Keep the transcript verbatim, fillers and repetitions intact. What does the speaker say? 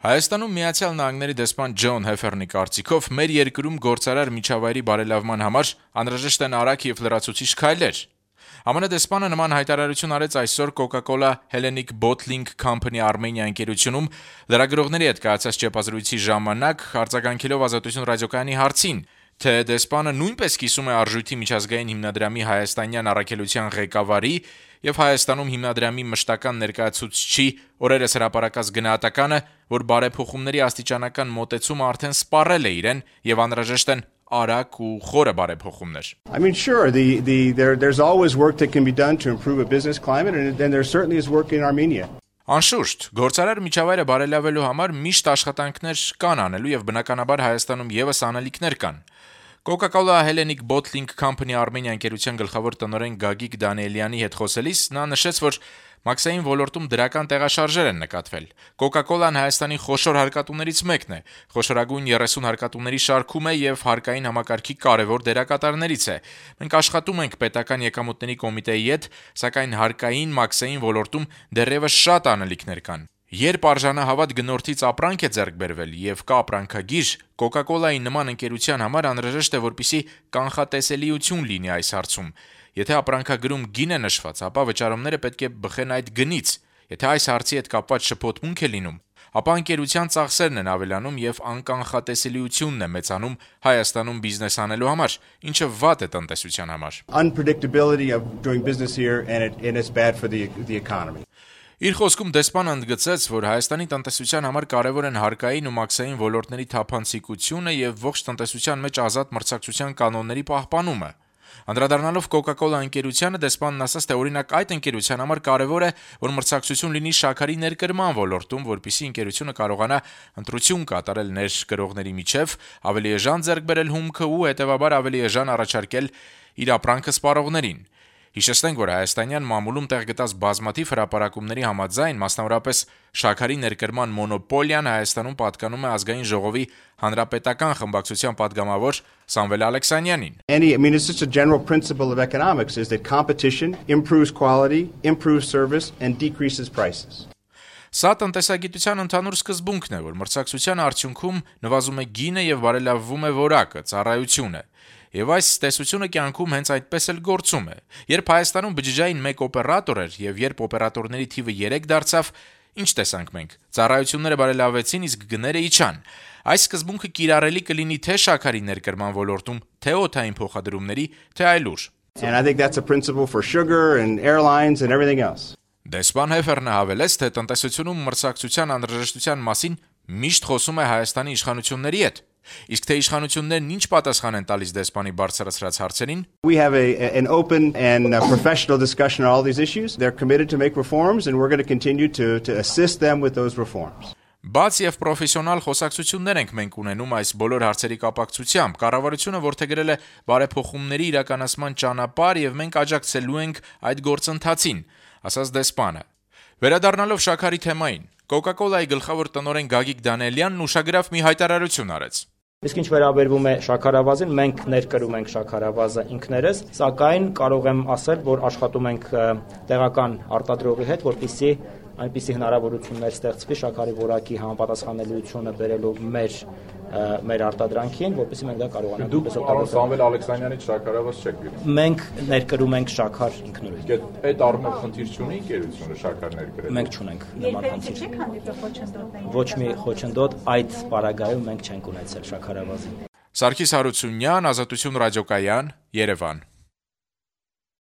Հայաստանում Միացյալ Նահանգների դեսպան Ջոն Հեֆերնի կարծիքով մեր երկրում գործարար միջավայրի բարելավման համար անհրաժեշտ են արագ եւ լրացուցիչ քայլեր։ ԱՄՆ դեսպանը նման հայտարարություն արեց այսօր Coca-Cola Hellenic Bottling Company Armenia ընկերությունում լրագրողների հետ կայացած ճեպազրույցի ժամանակ արձագանքելով Ազատություն ռադիոկայանի հարցին, թե դեսպանը նույնպես կիսում է արժույթի միջազգային հիմնադրամի հայաստանյան առաքելության ղեկավարի եւ Հայաստանում հիմնադրամի մշտական ներկայացուցչի օրերս հրապարակած գնահատականը, որ բարեփոխումների աստիճանական մոտեցումը արդեն սպառել է իրեն եւ անհրաժեշտ են արագ ու խորը բարեփոխումներ։ I mean sure the the there there's always work that can be done to improve a business climate and then there certainly is work in Armenia. Անշուշտ, գործարար միջավայրը բարելավելու համար միշտ աշխատանքներ կան անելու եւ բնականաբար Հայաստանում եւս անելիքներ կան։ Coca-Cola Hellenic Bottling Company Armenia ընկերության գլխավոր տնօրեն Գագիկ Դանիելյանի հետ խոսելիս նա նշեց, որ մաքսային ոլորտում դրական տեղաշարժեր են նկատվել։ Coca-Cola-ն Հայաստանի խոշոր հարկատուներից մեկն է, խոշորագույն երեսուն հարկատուների շարքում է եւ հարկային համակարգի կարևոր դերակատարներից է։ Մենք աշխատում ենք պետական եկամուտների կոմիտեի հետ, սակայն հարկային մաքսային ոլորտում դեռևս շատ անելիքներ կան։ Երբ արժանահավատ գնորդից ապրանք է ձեռք բերվել եւ կա ապրանքագիր, Coca-Cola-ի նման ընկերության համար անհրաժեշտ է, որպեսզի կանխատեսելիություն լինի այս հարցում։ Եթե ապրանքագրում գին է նշված, ապա վճարումները պետք է բխեն այդ գնից։ Եթե այս հարցի հետ կապված շփոթմունք է լինում, ապա ընկերության ծախսերն են ավելանում եւ անկանխատեսելիությունն է մեծանում Հայաստանում բիզնես անելու համար, ինչը վատ է տնտեսության համար։ Unpredictability of doing business here and it and it's bad for the the economy. Իր խոսքում դեսպանը ընդգծեց, որ Հայաստանի տնտեսության համար կարևոր են հարկային ու մաքսային ոլորտների թափանցիկությունը եւ ողջ տնտեսության մեջ ազատ մրցակցության կանոնների պահպանումը։ Անդրադառնալով Coca-Cola ընկերությանը դեսպանն ասաց, թե օրինակ այդ ընկերության համար կարևոր է, որ մրցակցություն լինի շաքարի ներկրման ոլորտում, որպեսզի ընկերությունը կարողանա ընտրություն կատարել ներկրողների միջև, ավելի էժան ձեռք բերել հումքը ու հետեւաբար ավելի էժան առաջարկել իր ապրանքը սպառողներին։ Հիշեցնենք, որ հայաստանյան մամուլում տեղ գտած բազմաթիվ հրապարակումների համաձայն, մասնավորապես շաքարի ներկրման մոնոպոլիան Հայաստանում պատկանում է Ազգային ժողովի հանրապետական խմբակցության падգամավոր Սամվել Ալեքսանյանին։ Any I mean it's just a general principle of economics is that competition improves quality, improves service and decreases prices. Սա տնտեսագիտության ընդհանուր սկզբունքն է, որ մրցակցության արդյունքում նվազում է գինը եւ բարելավվում է որակը, ծառայությունը։ Եվ այս տեսությունը կյանքում հենց այդպես էլ գործում է։ Երբ Հայաստանում բջջային մեկ օպերատոր էր եւ երբ օպերատորների թիվը երեք դարձավ, ինչ տեսանք մենք։ Ծառայությունները բարելավվեցին, իսկ գները իջան։ Այս սկզբունքը կիրառելի կլինի թե շաքարի ներկրման ոլորտում, թե օդային փոխադրումների, թե այլուր։ And I think that's a principle for sugar and airlines and everything else. Դեսպան Հեֆերնը հավելեց, թե տնտեսությունում մրցակցության անհրաժեշտության մասին միշտ խոսում է Հայաստանի իշխանությունների հետ։ Իսկ թե իշխանություններն ինչ պատասխան են տալիս դեսպանի բարձրացրած հարցերին։ We have a an open and a professional discussion on all these issues. They're committed to make reforms and we're going to continue to to assist them with those reforms. Բաց եւ պրոֆեսիոնալ խոսակցություններ ենք մենք ունենում այս բոլոր հարցերի կապակցությամբ։ Կառավարությունը որդեգրել է բարեփոխումների իրականացման ճանապարհ եւ մենք աջակցելու ենք այդ գործընթացին, ասաց դեսպանը։ Վերադառնալով շաքարի թեմային, Coca-Cola-ի գլխավոր տնօրեն Գագիկ Դանիելյանն ուշագրավ մի հայտարարություն արեց։ Իսկ ինչ վերաբերվում է շաքարավազին, մենք ներկրում ենք շաքարավազը ինքներս, սակայն կարող եմ ասել, որ աշխատում ենք տեղական արտադրողի հետ, որպեսզի այնպիսի հնարավորություններ ստեղծվի շաքարի որակի համապատասխանելիությունը բերելով մեր մեր արտադրանքին, որպեսզի մենք դա կարողանանք։ Դուք պարոն Սամվել Ալեքսանյանից շաքարավազ չեք գյուղում։ Մենք ներկրում ենք շաքար ինքնուրույն։ Այդ առումով խնդիր չունի ընկերությունը շաքար ներկրել։ Մենք չունենք նման խնդիր։ Ոչ մի խոչընդոտ այդ պարագայում մենք չենք ունեցել շաքարավազին։ Սարգիս Հարությունյան, Ազատություն ռադիոկայան, Երևան։